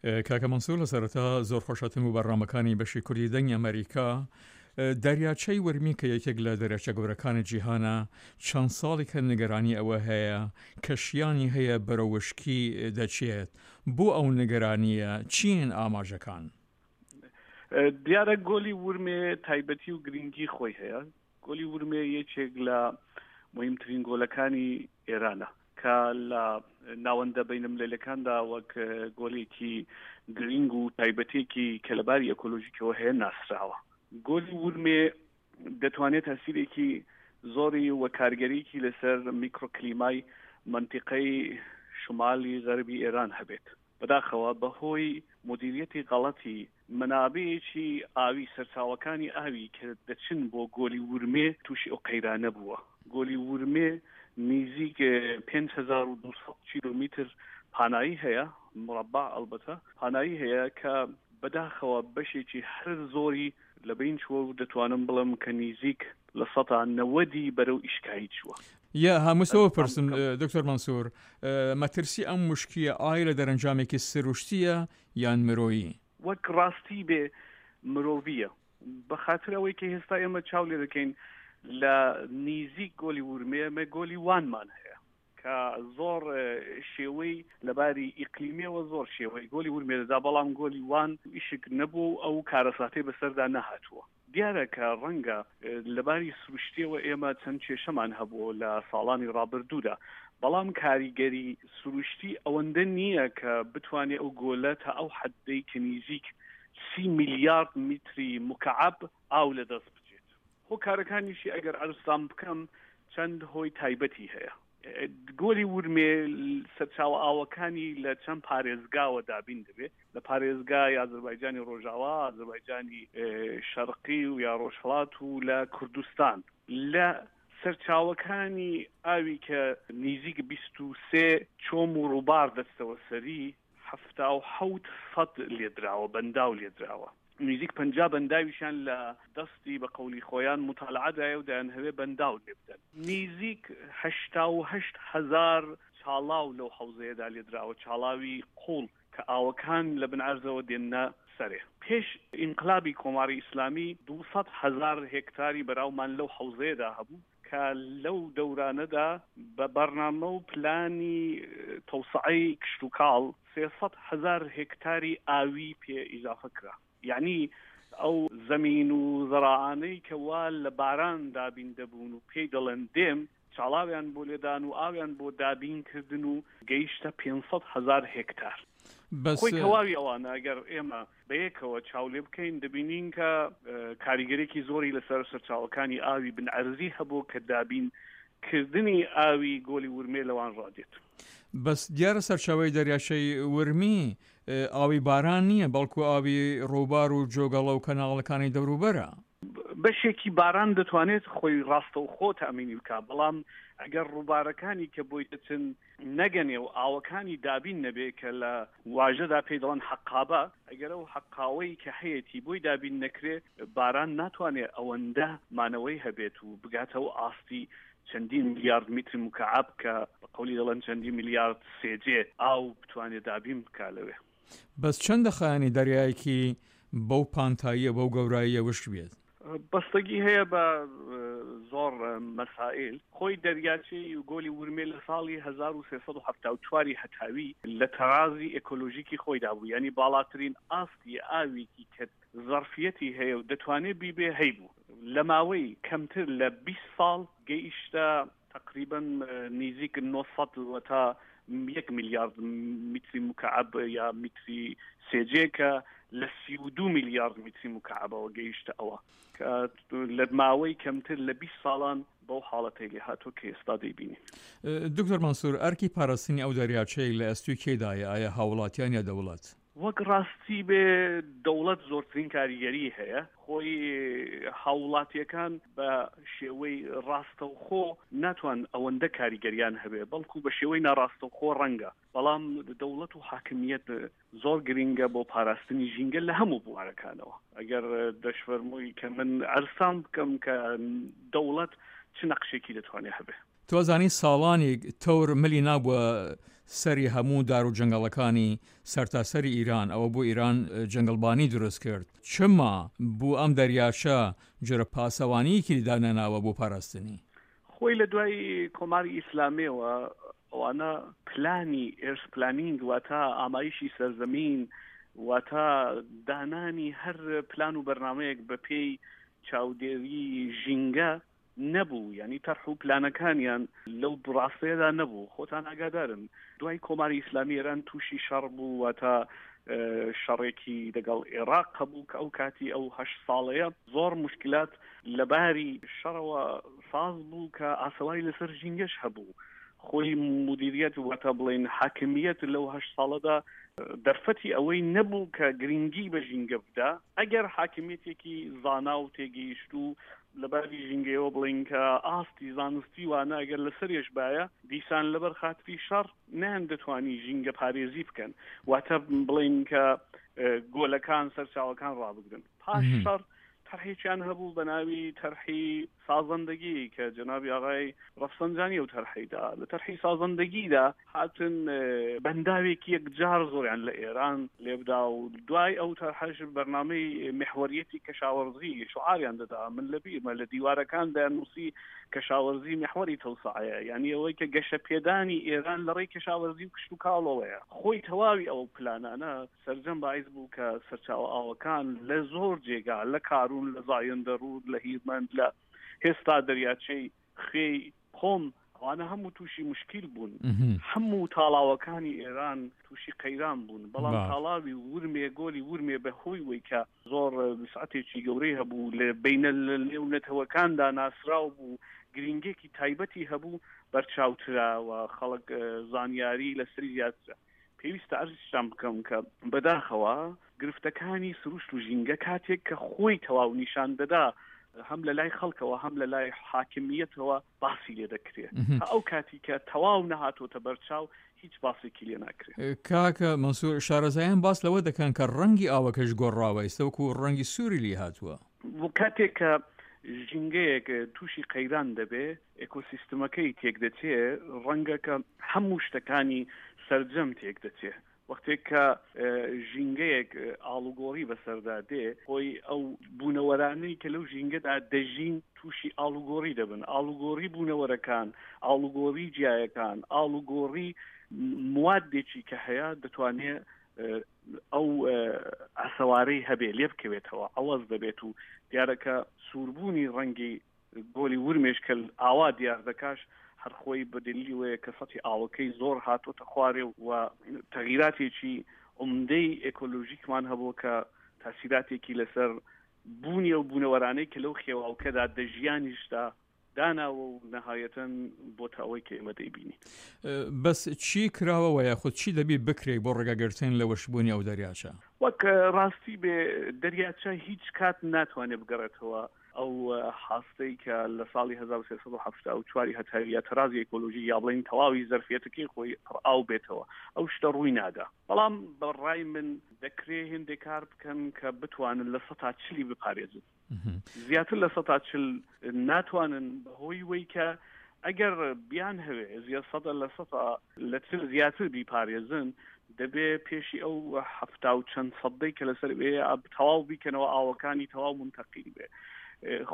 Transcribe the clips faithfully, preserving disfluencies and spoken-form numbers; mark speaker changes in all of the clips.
Speaker 1: کاکە مەنسوور، لە سەرەتا زۆر خۆشهاتن بۆ بەرنامەکانی بەشی کوردی دەنگی ئەمەریکا. دەریاچەی ورمی کە یەکێک لە دەریاچە گەورەکانی جیهانە، چەند ساڵێکە نیگەرانی ئەوە هەیە کە شیانی هەیە بەرەو وشکی دەچێت. بۆ ئەو نیگەرانییە چین ئاماژەکان؟
Speaker 2: دیارە گۆلی ورمێ تایبەتی و گرنگی خۆی هەیە. گۆلی ورمێ یەکێک لە مهمترین گۆلەکانی ئێرانە کە لە ناوەندە بینەملەلەکاندا وەک گۆلێکی گرنگ و تایبەتێکی کە لەباری ئەکۆلۆژیکەوە هەیە ناسراوە. گۆلی ورمێ دەتوانێت تەسیرێکی زۆری و کارگەریکی لەسەر میکرۆکلیمای منتیقەی شمالی غەربی ئێران هەبێت. بەداخەوە بەهۆی مدیریەتی غەڵەتی منابعێکی ئاوی، سەرچاوەکانی ئاوی کە دەچن بۆ گۆلی ورمێ تووشی ئەو قەیرانە بووە. گۆلی ورمێ نزیک پێنج هەزار و دوو سەد کیلۆمتر پانایی هەیە، مربع ئەلبەتە پانایی هەیە کە بەداخەوە بەشێکی هەر زۆری لەبین چووە و دەتوانم بڵێم کە نزیک لە سەدا نەوەدی بەرەو ئیشکایی چووە.
Speaker 1: یا هەمووسەوە پرسم دکتۆر مەنسوور، مەترسی ئەم مشکیە ئایا لە دەرەنجامێکی سروشتیە یان مرۆیی؟
Speaker 2: وەک ڕاستی بێ مرۆڤیە، بەخاتر ئەوەی کە هێستا ئێمە چاو لێ دەکەین لە نزیک گۆلی ورمێ ئێمە گۆلی وانمان هەیە کە زۆر شێوەی لەباری ئیقلیمیەوە زۆر شێوەی گۆلی ورمێ دەدا، بەڵام گۆلی وان ئیشک نەبوو و ئەو کارەساتەی بەسەردا نەهاتووە. دیارە کە ڕەنگە لەباری سروشتیەوە ئێمە چەند کێشەمان هەبوو لە ساڵانی ڕابردوودا، بەڵام کاریگەری سروشتی ئەوەندە نییە کە بتوانێت ئەو گۆلە تا ئەو حەدەی کە نزیک سی میلیارد میتری مکعب ئاو لەدەست بچێت. هۆکارەکانیشی ئەگەر عەرزتان بکەم چەند هۆی تایبەتی هەیە. گۆلی ورمێ سەرچاوە ئاوەکانی لە چەند پارێزگاوە دابین دەبێت، لە پارێزگای ئازەربایجانی ڕۆژاوا، ئازەربایجانی شەرقی و یا ڕۆژهەڵات و لە کوردستان. لە سەرچاوەکانی ئاوی کە نزیک بیست و سێ چۆم و ڕووبار دەچتەوە سەری، حەفتا و حەوت سەد لێدراوە، بەنداو لێدراوە. نزیک پەنجا بەنداویشیان لە دەستی بە قەولی خۆیان مطالعەدایە و دەیانهەوێ بەنداو لێ بدەن. نزیک هەشتا و هەشت هەزار چاڵاو لەو حەوزەیەدا لێدراوە، چاڵاوی قوڵ کە ئاوەکان لە بن عەرزەوە دێننە سەرێ. پێش ئینقلابی کۆماری ئیسلامی دووسەد هەزار هێکتاری بەراومان لەو حەوزەیەدا هەبوو کە لەو دەورانەدا بە بەرنامە و پلانی تەوسعەی کشتوکاڵ سێسەد هەزار هێکتاری ئاوی پێ ئیزافە کرا. یعنی ئەو زەمین و زەراعانەی کە وا لە باران دابین دەبوون و پێی دەڵێن دێم، چاڵاویان بۆ لێدان و ئاویان بۆ دابین کردن و گەیشتە پێنج سەد هەزار هێکتار.
Speaker 1: بەس
Speaker 2: خۆی تەواوی ئەوانە ئەگەر ئێمە بەیەکەوە چاو لێ بکەین دەبینین کە کاریگەرێکی زۆری لەسەر سەرچاوەکانی ئاوی بن عەرزی هەبوو کە دابین کردنی ئاوی گۆلی ورمێ لەوان ڕادێت.
Speaker 1: بەس دیارە سەرچاوەی دەریاچەی ورمی ئاوی باران نییە، بەڵکو ئاوی ڕووبار و جۆگەڵە و کەناڵەکانی دەوروبەرە.
Speaker 2: بەشێکی باران دەتوانێت خۆی ڕاستەوخۆ تەئمینی بکات، بەڵام ئەگەر ڕووبارەکانی کە بۆی دەچن نەگەنێ و ئاوەکانی دابین نەبێ کە لە واژەدا پێی دەڵێن حەقابە، ئەگەر ئەو حەقاوەی کە هەیەتی بۆی دابین نەکرێ باران ناتوانێت ئەوەندە مانەوەی هەبێت و بگاتەوە ئاستی چەندین میلیارد میتری مکعب کە بە قەولی دەڵێن چەندین میلیارد سێجێ ئاو بتوانێت دابین بکا لەوێ.
Speaker 1: بەس چەندە خایەنی دەریایەکی بەو پانتاییە بەو گەوراییە وشک بێت؟
Speaker 2: بەستەگی هەیە بە زۆر مەسائل. خۆی دەریاچەی گۆلی ورمێ لە ساڵی هەزار و سێ سەد و حەفتا و چواری هەتاوی لە تەرازی ئێکۆلۆژیکی خۆیدا بوو، یعنی باڵاترین ئاستی ئاوێکی کە زەرفیەتی هەیە و دەتوانێت بیبێ هەیبوو. لە ماوەی کەمتر لە بیست ساڵ گەیشتە تقریبا نزیک نۆ سەد تا یەک میلیارد میتری مکعب یا میتری سێجێ کە لە سی و دوو میلیارد میتری مکعبەوە گەیشتە ئەوە کە لە ماوەی کەمتر لە بیست ساڵان بەو حاڵەتەی لێ هاتووە کە ئێستا دەیبینین.
Speaker 1: دکتۆر مەنسوور، ئەرکی پاراستنی ئەو دەریاچەی لە ئەستوی کێدایە؟ ئایا هاوڵاتیان یا دەوڵەت؟
Speaker 2: وەک ڕاستی بێ دەوڵەت زۆرترین کاریگەری هەیە. خۆی هاوڵاتیەکان بە شێوەی ڕاستەوخۆ ناتوان ئەوەندە کاریگەریان هەبێ، بەڵکو بە شێوەی ناڕاستەوخۆ ڕەنگە، بەڵام دەوڵەت و حاکمیەت زۆر گرنگە بۆ پاراستنی ژینگە لە هەموو بوارەکانەوە. ئەگەر دەشفەرمووی کە من عەرزتان بکەم کە دەوڵەت چ نەقشێکی دەتوانێت هەبێ.
Speaker 1: تۆ زانی ساڵانێک تەور ملی نابووە سەری هەموو دار و جەنگەڵەکانی سەرتاسەری ئیران، ئەوە بۆ ئیران جەنگەڵبانی دروست کرد، چما بۆ ئەم دەریاچە جۆرە پاسەوانیەکی دانەناوە بۆ پاراستنی؟
Speaker 2: خۆی لە دوای کۆماری ئیسلامیەوە ئەوانە پلانی ئێرس پلانینگ، واتە ئامایشی سەرزەمین، واتە دانانی هەر پلان و بەرنامەیەک بە پێی چاودێری ژینگە نەبوو، یعنی تەرح و پلانەکانیان لەو ڕاستەیەدا نەبوو. خۆتان ئاگادارن دوای کۆماری ئیسلامی ئێران تووشی شەڕ بوو، واتە شەڕێکی لەگەڵ عێراق هەبوو کە ئەو کاتی ئەو هەشت ساڵەیە زۆر مشکلات لەباری شەڕەوە ساز بوو کە ئاسەواری لەسەر ژینگەش هەبوو. خۆی مدیریەت واتە بڵێن حاکمیەت لەو هەشت ساڵەدا دەرفەتی ئەوەی نەبوو کە گرنگی بە ژینگە بدا. ئەگەر حاکمیەتێکی زانا و تێگەیشت و لەباری ژینگەیەوە بڵێن کە ئاستی زانستی وانە ئەگەر لەسەرێش باە، دیسان لەبەر خاتری شەڕ نەیان دەتوانی ژینگە پارێزی بکەن، واتە بڵێن کە گۆلەکان سەرچاوەکان ڕابگرن. پاش شەڕ تەرحێکیان هەبوو بە ناوی تەرحی سازەندگی کە جەنابی ئاغای ڕەفسەنجانی ئەو تەرحیدا. لە تەرحی سازەندگیدا هاتن بەنداوێکی یەکجار زۆریان لە ئێران لێبدا و دوای ئەو تەرحەش بەرنامەی محوەریەتی کەشاوەرزی شعاریان دەدا. من لەبیرمە لە دیوارەکان دەیاننووسی کەشاوەرزی محوەری تەوسعەیە، یعنی ئەوەی کە گەشە پێدانی ئێران لە ڕێی کەشاوەرزی و کشتوکاڵەوەیە. خۆی تەواوی ئەو پلانانە سەرجەم باعث بوو کە سەرچاوە ئاوەکان لە زۆر جێگا، لە کارون، لە زایەندەڕوود، لە هیرمەند، لە هێستا دەریاچەی خوێی قۆم، ئەوانە هەموو تووشی مشکل بوون. هەموو تاڵاوەکانی ئێران تووشی قەیران بوون. بەڵام تاڵاوی ورمێ، گۆلی ورمێ بە هۆی وەی کە زۆر وسعەتێکی گەورەی هەبوو، لە بینە لەنێو نەتەوەکاندا ناسراو بوو، گرنگێکی تایبەتی هەبوو، بەرچاوترا و خەڵک زانیاری لەسەری زیاترە. پێویستە عەرزیشتان بکەم کە بەداخەوە گرفتەکانی سروشت و ژینگە کاتێک کە خۆی تەواو نیشان دەدا، هەم لە لای خەڵکەوە هەم لە لای حاکمیەتەوە باسی لێ دەکرێت. ئەو کاتی کە تەواو نەهاتۆتە بەرچاو هیچ باسێکی لێ ناکرێت.
Speaker 1: کاکە مەنسوور، شارەزایان باس لەوە دەکەن کە ڕەنگی ئاوەکەش گۆڕاوە، ئێستا وەکو ڕەنگی سووری لێ هاتووە.
Speaker 2: کاتێک کە ژینگەیەک تووشی قەیران دەبێ، ئێکۆسیستمەکەی تێک دەچێ، ڕەنگە کە هەموو شتەکانی سەرجەم تێک دەچێ. وەختێک کە ژینگەیەک ئاڵوگۆڕی بەسەردا دێ، خۆی ئەو بوونەوەرانەی کە لەو ژینگەدا دەژین تووشی ئاڵوگۆڕی دەبن. ئاڵوگۆڕی بوونەوەرەکان، ئاڵوگۆڕی جیایەکان، ئاڵوگۆڕی موادێکی کە هەیە دەتوانێت ئەو ئاسەوارەی هەبێ لێ بکەوێتەوە، ئەوەز دەبێت. و دیارە کە سووربوونی ڕەنگی گۆلی ورمێش کە ئاوا دیار دەکاش هەر خۆی بە دلیلی وەیە کە سەتی ئاوەکەی زۆر هاتۆتە خوارێ و تەغیراتێکی عمدەی ئێکۆلۆژیکمان هەبوو کە تاسیراتێکی لەسەر بوونی ئەو بوونەوەرانەی کە لەو خێواوکەدا دەژیانیشدا داناوە و نەهایەتەن بۆتە ئەوەی کە ئێمە دەیبینین.
Speaker 1: بەس چی کراوەوە یاخود چی دەبی بکرێت بۆ ڕێگەگرتن لە وشبوونی ئەو دەریاچە؟
Speaker 2: وەک ڕاستی بێ دەریاچە هیچ کات ناتوانێت بگەڕێتەوە ئەو حاستەی کە لە ساڵی هەزار و سێ سەد و حەفتا و چواری هەتاویە تەرازی ئێکۆلۆژی یا بڵێن تەواوی زەرفیەتەکەی خۆی پڕ ئاو بێتەوە، ئەو شتە ڕووی نادا. بەڵام بەڕای من دەکرێ هێندێک کار بکەن کە بتوانن لە سەتا چلی بپارێزن. زیاتر لە سەتا چل ناتوانن، بەهۆی وەی کە ئەگەر بیان هەوێ زیاد سەدە لە سەتا لە چل زیاتر بیپارێزن، دەبێ پێشی ئەو حەفتا و چەند سەدەی کە لەسەر بێ تەواو بیکەنەوە، ئاوەکانی تەواو منتەقیل بێ.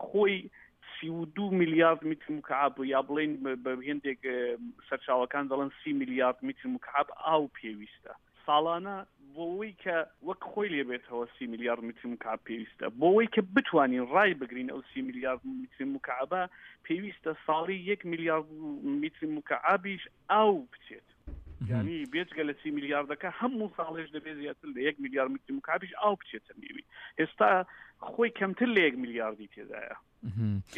Speaker 2: خۆی سی و دوو میلیارد متر مکعب یا بڵێن بە هێندێک سەرچاوەکان دەڵێن سی میلیارد متر مکعب ئاو پێویستە ساڵانە بۆ ئەوەی کە وەک خۆی لێبێتەوە سی میلیارد متر مکعب پێویستە. بۆ ئەوەی کە بتوانین ڕای بگرین ئەو سی میلیارد متر مکعبە پێویستە ساڵی یەک میلیارد متر مکعبیش ئاو بچێت. یعنی بێجگە لە سی میلیاردەکە هەموو ساڵێش دەبێت زیاتر لە یەک میلیارد متر مکعبیش ئاو بچێتە نێوی. ئێستا خۆی کەمتر لە یەک میلیاردی تێدایە.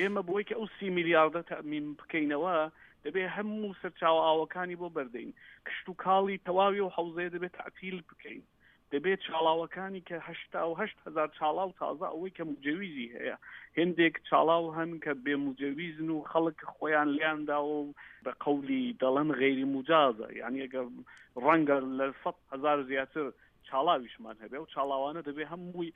Speaker 2: ئێمە بۆی کە ئەو سی میلیاردە تەئمین بکەینەوە دەبێت هەموو سەرچاوە ئاوەکانی بۆ بەردەین، کشتوکاڵی تەواوی و حەوزەیە دەبێت تەعتیل بکەین، دەبێت چاڵاوەکانی کە هەشتا و هەشت هەزار چاڵاو تازە ئەوەی کە مجەویزی هەیە، هێندێک چاڵاو هەن کە بێ مجەویزن و خەڵک خۆیان لیان داوە و بە قەولی دەڵێن غەیری مجازە، یعنی ئەگەر ڕەنگە لە سەد هەزار زیاتر چاڵاویشمان هەبێ و چاڵاوانە دەبێت هەمووی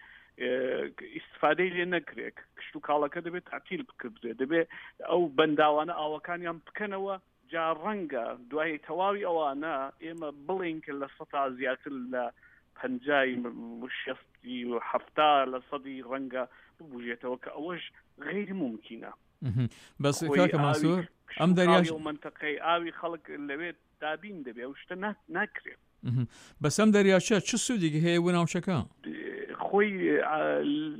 Speaker 2: ئیسفادەی لێ نەکرێت، کشتوکاڵەکە دەبێت تەعتیل بکردرێت، دەبێت ئەو بەنداوانە ئاوەکانیان بکەنەوە جا ڕەنگە دوای تەواوی ئەوانە ئێمە بڵێن کە لە سەتا زیاتر لە پەنجای شەستی و حەفتا لە سەدی ڕەنگە ببوژێتەوە کە ئەوەش غەیر مومکینە.
Speaker 1: بەس کاکە مەنسوور ئەم دەریاش
Speaker 2: ئەو منتەقەی ئاوی خەڵک لەوێ دابین دەبێ، ئەو شتە ناکرێت.
Speaker 1: بەس ئەم دەریاچە چ سوودێکی هەیە بۆ ناوچەکە؟
Speaker 2: خۆی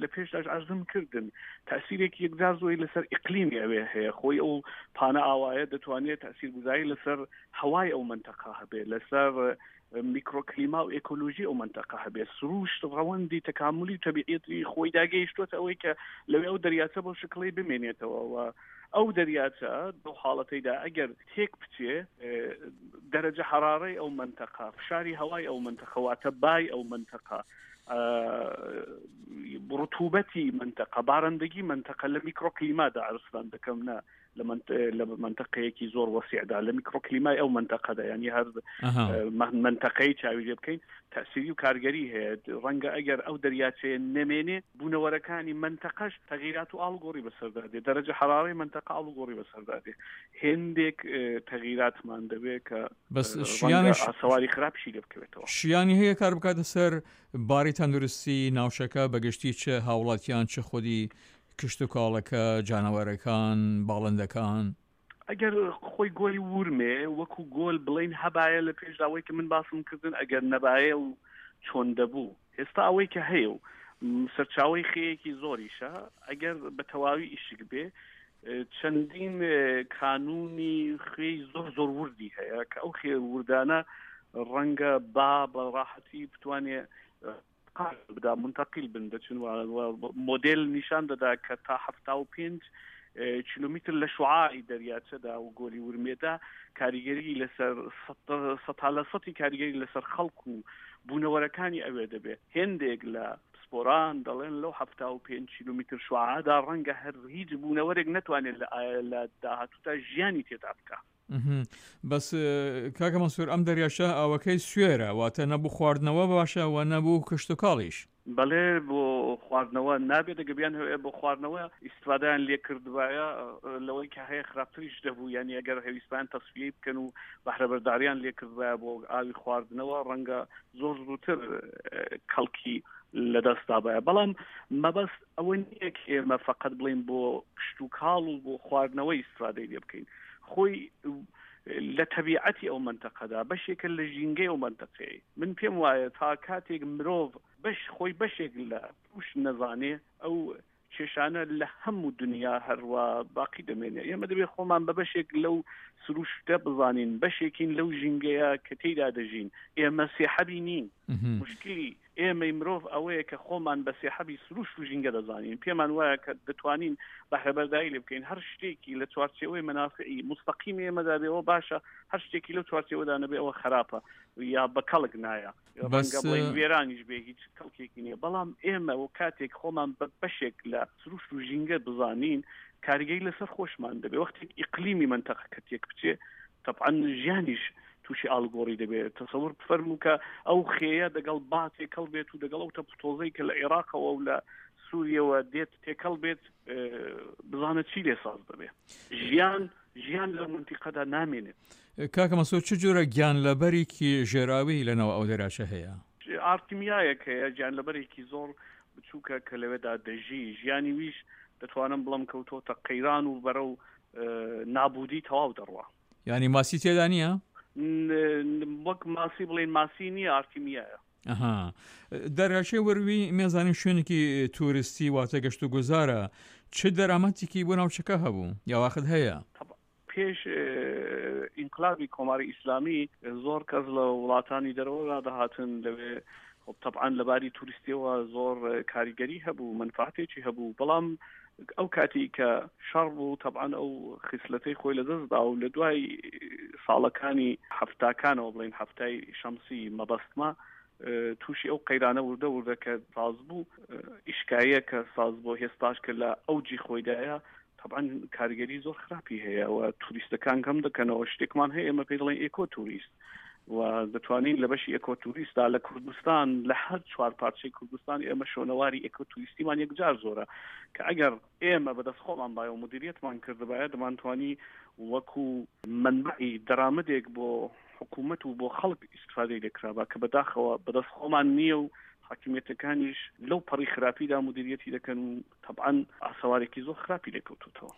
Speaker 2: لە پێشداش عەرزم کردن تەسیرێکی یەکجار زۆری لەسەر ئیقلیمی ئەوێ هەیە. خۆی ئەو پانە ئاوایە دەتوانێت تەسیرگوزاری لەسەر هەوای ئەو منتەقە هەبێ، لەسەر میکرۆکلیما و ئێکۆلۆژی ئەو منتەقە هەبێ. سروشت ڕەوەندی تەکاملی و تەبیعەتی خۆی داگەیشتووەتە ئەوەی کە لەوێ ئەو دەریاچە بۆ شکڵی بمێنێتەوە و ئەو دەریاچە بەو حاڵەتەیدا ئەگەر تێک بچێ دەرەجە حرارەی ئەو منتەقە، فشاری هەوای ئەو منتەقە، واتە بای ئەو منتەقە، ڕتوبەتی منتەقە، بارندگی منتەقە لە میکرۆکلیمادا عەرزتان دەکەم، نا لە منتەقەیەکی زۆر وەسیعدا، لە میکرۆکلیمای ئەو منتەقەدا، یعنی هەر منتەقەی چاوی لێ بکەین تەسیری و کارگەری هەیە. ڕەنگە ئەگەر ئەو دەریاچەیە نەمێنێ بوونەوەرەکانی منتەقەش تەغیرات و ئاڵوگۆڕی بەسەردا دێ، دەرەجە حرارەی منتەقە ئاڵوگۆڕی بەسەردا دێ، هێندێک تەغیراتمان دەبێت کە
Speaker 1: بەس شیانش
Speaker 2: ئاسەواری خراپشی لێ بکەوێتەوە.
Speaker 1: شیانی هەیە کار بکاتە سەر باری تەندروستی ناوچەکە بەگشتی، چ هاوڵاتیان چ خودی کشتتوکاڵەکە، جانەوەرەکان، باڵندەکان؟
Speaker 2: ئەگەر خۆی گۆلی ورمێ وەکو گۆل بڵین هەبایە لە پێشداوەی کە من باسم کردن، ئەگەر نەبایە و چۆن دەبوو، ئێستا ئەوەی کە هەیە و سەرچاوەی خێیەکی زۆریشە، ئەگەر بە تەواوی ئیشک بێ چەندین کانونی خوێی زۆر زۆر وردی هەیە کە ئەو خێ وردانە ڕەنگە با بە ڕاحەتی بتوانێ بدا منتەقیل بن دەچن مۆدێل نیشان دەدا کە تا حەفتا و پێنج کیلۆمتر لە شعاعی دەریاچەدا و گۆلی ورمێدا کاریگەری لەسەر سەتا لە سەتی کاریگەری لەسەر خەڵک و بوونەوەرەکانی ئەوێ دەبێت. هێندێک لە پسپۆران دەڵێن لەو حەفتا و پێنج کیلۆمتر شعاعدا ڕەنگە هەر هیچ بوونەوەرێک نەتوانێت لە داهاتووتا ژیانی تێدا بکە.
Speaker 1: بەس کاکە مەنسوور ئەم دەریاچە ئاوەکەی سوێرە، واتە نەبوو خواردنەوە باشە و نەبوو کشتتوکاڵیش.
Speaker 2: بەڵێ بۆ خواردنەوە نابێت، دەگەبیان هەیە بۆ خواردنەوە ئیسفادەیان لێ کردبایە لەوەی کە هەیە خراپتریش دەبوو، یعنی ئەگەر هەویستان تەسفیەی بکەن و بەهرەبەرداریان لێ کردبایە بۆ ئاوی خواردنەوە ڕەنگە زۆر زووتر کەڵکی لەدەستدا باە. بەڵام مەبەست ئەوە نییە کە ئێمە فقط بڵێن بۆ کشتتوکاڵ و بۆ خواردنەوەی ئیسفادەی لێ بکەین. خۆی لە تەبیعەتی ئەو منتەقەدا بەشێکە لە ژینگەی ئەو منتەقەیە. من پێم وایە تا کاتێک مرۆڤ بەش خۆی بەشێک لە پوش نەزانێ ئەو کێشانە لە هەموو دنیا هەروە باقی دەمێنێ. ئێمە دەبێت خۆمان بە بەشێک لەو سروشتە بزانین، بەشێکین لەو ژینگەیە کە تێیدا دەژین. ئێمە سێحەبی نین. مشکلی ئێمەی مرۆڤ ئەوەیە کە خۆمان بە سێحەبی سروشت و ژینگە دەزانین، پێمان وایە کە دەتوانین بەهرەبەرداری لێ بکەین. هەر شتێکی لە چوارچێوەی مەنافعی مستەقیم ئێمەدا بێەوە باشە، هەر شتێکی لەو چوارچێوەدا نەبێ ئەوە خراپە یا بە کەڵک نایە، ڕەنگە بڵێین وێرانیش بێ هیچ کەڵکێکی نییە. بەڵام ئێمە و کاتێک خۆمان بە بەشێک لە سروشت و ژینگە بزانین کاریگەری لەسەر خۆشمان دەبێ. وەختێک ئیقلیمی منتەقەکە تێک بچێ طبعا ژیانیش تووشی ئاڵگۆڕی دەبێت. تەسەور بفەرموو کە ئەو خێیە دەگەڵ با تێکەڵ بێت و دەگەڵ ئەو تەپوتۆزەی کە لە عێراقەوە و لە سووریەوە دێت تێکەڵ بێت، بزانە چی لێ ساز دەبێت. ژیان ژیان لەو منتیقەدا نامێنێت.
Speaker 1: کاکە مەنسوور چ جۆرە گیانلەبەرێکی ژێراوی لەناو ئەو دەریاچە هەیە؟
Speaker 2: ئارتمیایەک هەیە، گیانلەبەرێکی زۆر بچووکە کە لەوێدا دەژی. ژیانی ویش دەتوانم بڵم کەوتۆتە قەیران و بەرەو نابودی تەواو دەڕوا.
Speaker 1: یعنی ماسی تێدا نییە؟
Speaker 2: وەک ماسی بڵێن ماسی نییە، ئارتیمیایە.
Speaker 1: ئەها دەریاچەی وەروی مێزانین شوێنێکی توریستی واتە گەشت و گوزارە، چ دەرامەتێکی بۆ ناوچەکە هەبوو یا واخت هەیە؟
Speaker 2: پێش ئینقلابی کۆماری ئیسلامی زۆر کەس لە وڵاتانی دەرەوە دەهاتن لەوێ. طبعا لەباری توریستیەوە زۆر کاریگەری هەبوو، منفعەتێکی هەبوو. بەڵام ئەو کاتی کە شەڕ بوو طبعا ئەو خیسلەتەی خۆی لەدەستدا و لە دوای ساڵەکانی هەفتاکانەوە بڵێن هەفتای شەمسی مەبەستمە تووشی ئەو قەیرانە وردە وردە کە ساز بوو، ئیشکاییە کە ساز بۆ هێستاش کە لە ئەوجی خۆیدایە طبعا کاریگەری زۆر خراپی هەیە و توریستەکان کەم دەکەنەوە. شتێکمان هەیە ئێمە پێی دەڵێن ئێکۆ توریست، و دەتوانین لە بەشی ئێکۆتوریستدا لە کوردستان لە هەر چوار پارچەی کوردستان ئێمە شوێنەواری ئێکۆتوریستیمان یەکجار زۆرە کە ئەگەر ئێمە بەدەست خۆمان بایە و مدیریەتمان کردبایە دەمانتوانی وەکو منبعی دەرامەتێک بۆ حکوومەت و بۆ خەڵک ئیسفادەی لێکرابا کە بەداخەوە بەدەست خۆمان نییە و حاکمیەتەکانیش لەو پەڕی خراپیدا مدیریەتی دەکەن و تەبعەن ئاسەوارێکی زۆر خراپی لێکەوتوتەوە.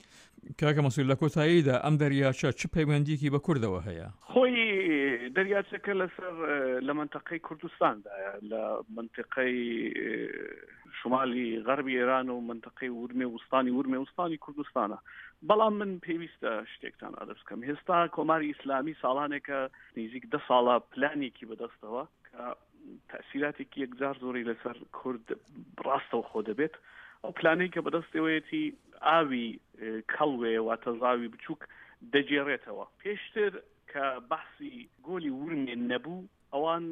Speaker 1: کاکە مەسعود لە کۆتاییدا ئەم دەریاچە چ پەیوەندیکی بە کوردەوە هەیە؟
Speaker 2: خۆی دەریاچەکە لەسەر لە منتەقەی کوردستاندایە، لە منتیقەی شمالی غەربی ئێران و منتەقەی ورمێ وستانی ورمێ وستانی کوردستانە. بەڵام من پێویستە شتێکتان عەرز بکەم. هێستا کۆماری ئیسلامی ساڵانێکە نزیک دە ساڵە پلانێکی بەدەستەوە کە تەسیراتێکی یەکجار زۆری لەسەر کورد ڕاستەوخۆ دەبێت. ئەو پلانەی کە بەدەستەوەیەتی ئاوی کەڵوێ واتە زاوی بچووک دەگێڕێتەوە. پێشتر کە بەحسی گۆلی ورمێ نەبوو، ئەوان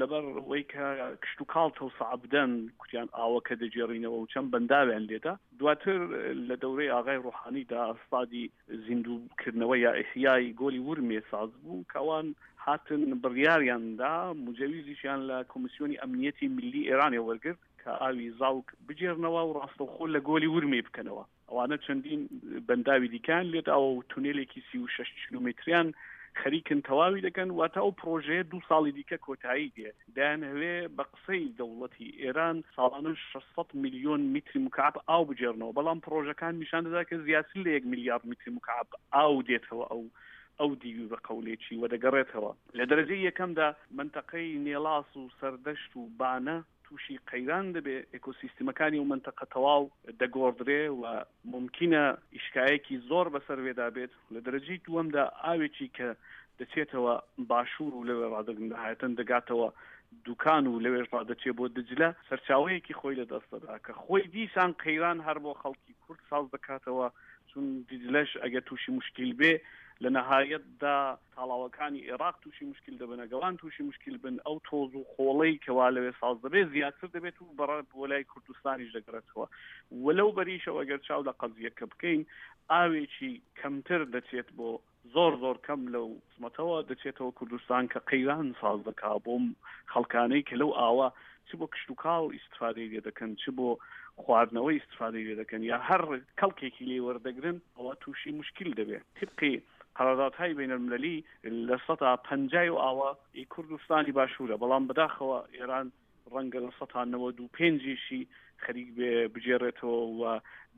Speaker 2: لەبەر ئەوەی کە کشتوکاڵ تەوسع بدەن کوتیان ئاوەکە دەگێڕینەوە و چەند بەنداویان لێدا. دواتر لە دەورەی ئاغای ڕۆحانیدا ئەستادی زیندووکردنەوە یا ئیحیای گۆلی ورمێ ساز بوو کە ئەوان هاتن بڕیاریاندا مجەویزیشیان لە کۆمیسیۆنی ئەمنیەتی ملی ئێرانێ وەرگرت کە ئاوی زاوک بگێڕنەوە و ڕاستەوخۆ لە گۆلی ورمێ بکەنەوە. ئەوانە چەندین بەنداوی دیکان لێداوە و تونێلێکی سی و شەش کیلۆمەتریان خەریکن تەواوی دەکەن. واتە ئەو پرۆژەیە دوو ساڵی دیکە کۆتایی دێ. دەیانهەوێ بە قسەی دەوڵەتی ئێران ساڵانە شەشسەد میلیۆن میتری مکعب ئاو بگێڕنەوە، بەڵام پرۆژەکان نیشان دەدا کە زیاتر لە یەک میلیارد میتری مکعب ئاو دێتەوە ئەو ئەو دیوی بە قەولێکی و دەگەڕێتەوە. لە دەرەجەی یەکەمدا منتەقەی نێڵاس و سەردەشت و بانە تووشی قەیران دەبێ، ئێکۆسیستمەکانی و منتەقە تەواو دەگۆڕدرێ و ممکنە ئیشکایەکی زۆر بەسەر وێدا بێت. لە دەرەجەی دووەمدا ئاوێکی کە دەچێتەوە باشوور و لەوێ ڕادەگەنهایەتەن دەگاتەوە دوکان و لەوێش ڕادەچێ بۆ دجلە، سەرچاوەیەکی خۆی لە دەست دەدا کە خۆی دیسان قەیران هەر بۆ خەڵکی کورد ساز دەکاتەوە، چون دیجلەش ئەگەر تووشی مشکل بێ لە نەهایەتدا تاڵاوەکانی عێراق تووشی مشکل دەبن، ئەگەوان تووشی مشکل بن، ئەو تۆز و خۆڵەی کەوا لەوێ ساز دەبێت زیاتر دەبێت و بەڕە بۆ لای کوردستانیش دەگەڕێتەوە. و لەو بەریشەوە ئەگەر چاو لە قەزیەکە بکەین، ئاوێکی کەمتر دەچێت بۆ زۆر زۆر کەم لەو قسمەتەوە دەچێتەوە کوردستان کە قەیران ساز دەکا بۆ خەڵکانەی کە لەو ئاوە چ بۆ کشتوکاڵ ئیسفادەی لێ دەکەن، چ بۆ خواردنەوەی ئیسفادەی لێ دەکەن یا هەر کەڵکێکی لێ وەردەگرن، ئەوە تووشی مشکل دەبێت. طبقی قەراردادهای بینالمللی لە سەدا پەنجای و ئاوە ئی کوردستانی باشوورە، بەڵام بەداخەوە ئێران ڕەنگە لە سەدا نەوەد و پێنجیشی خەریک بێ بگێڕێتەوە و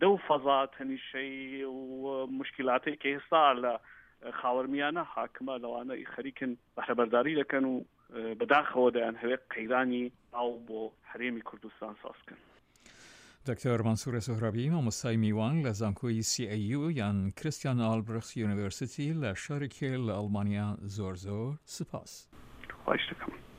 Speaker 2: دەو فەزا تەنیشەی و مشکلاتێک کە ئێستا لە خاوەرمیانە حاکمە لەوانە خەریکن بەهرەبەرداری دەکەن و بەداخەوە دەیانهەوێت قەیرانی ئاو بۆ هەرێمی کوردستان ساز بکەن.
Speaker 1: دکتۆر مەنسوور سۆهرابی مامۆستای میوان لە زانکۆی سی ئەی یو یان کریستیان ئالبرخت یونیڤرسیتی لە شاری کێل لە ئەڵمانیا زۆر زۆر سپاس.
Speaker 2: خواهش دەکەم.